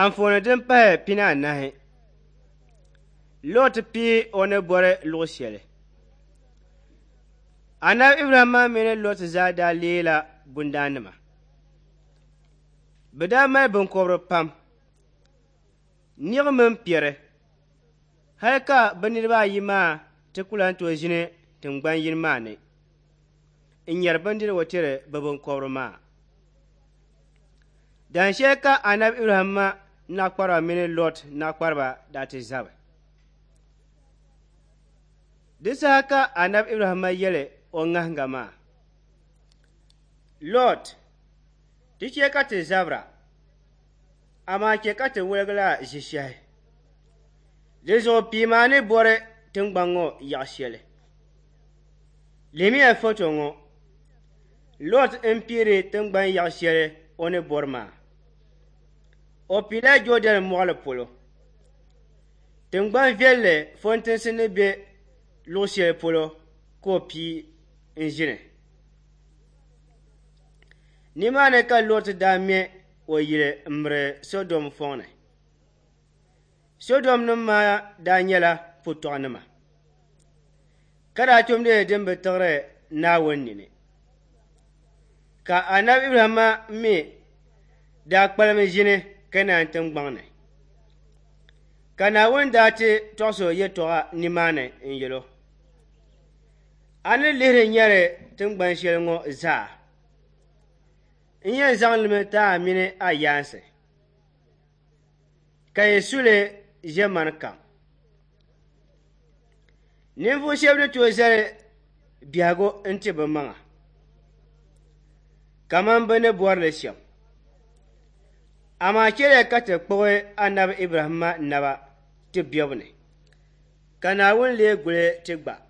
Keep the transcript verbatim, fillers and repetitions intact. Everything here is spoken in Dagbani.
Anfooni din pahi pinaanahi. Lot pii o ni bɔri luɣ shɛli. Anabi Ibrahimma mini Lot zaa daa leela bundaannima. Bɛ daa mali biŋkɔbiri pam, niɣi mini piɛri, hal ka bɛ niriba ayi maa ti ku lan tooi ʒini tiŋgban yini maa ni n-nyari bindirigu tiri bɛ biŋkɔbiri maa. Dan shɛli ka Anabi Ibrahimma naɣikpariba mini Lot naɣikpariba daa ti zabi. Di saha ka Anabi Ibrahimma yɛli o ŋahiŋga maa, Lot, ti chɛ ka ti zabira, amaa chɛ ka ti woligila ʒishɛhi. Di zuɣu piimi a ni bɔri tiŋgbani ŋɔ yaɣ shɛli. Lihimiya foto ŋɔ. Lot m-piiri tiŋgbani yaɣ shɛli o ni bɔri maa. O piila Jɔɔdɛn mɔɣili polo, tiŋgbani viɛlli fɔntinsi ni be luɣ shɛli polo ka o pii n-ʒini. Nimaani ka Lot daa me o yili m-miri Sɔdom fɔŋ ni. Sɔdomnim maa daa nyɛla putɔɣunima, ka daa tumdi din bi tiɣiri Naawuni nini. Ka Anabi Ibrahimma mi daa kpalim ʒini Kɛnaan tiŋgbɔŋ ni. Ka Naawuni daa ti tɔɣis o yɛtɔɣa nimaani n-yɛl o, A ni lihiri nyari tiŋgban shɛli ŋɔ zaa, n yɛn zaŋ li mi ti a mini a yaansi, ka yi su li ʒiɛmani kam. Ninvuɣ shɛba ni tooi zali biɛhigu n-ti bɛ maŋa kaman bɛ ni bɔri li shɛm. Amaa chɛliya ka ti kpuɣi Anabi Ibrahimma naba ti bebu ni, ka Naawuni lee guli ti gba.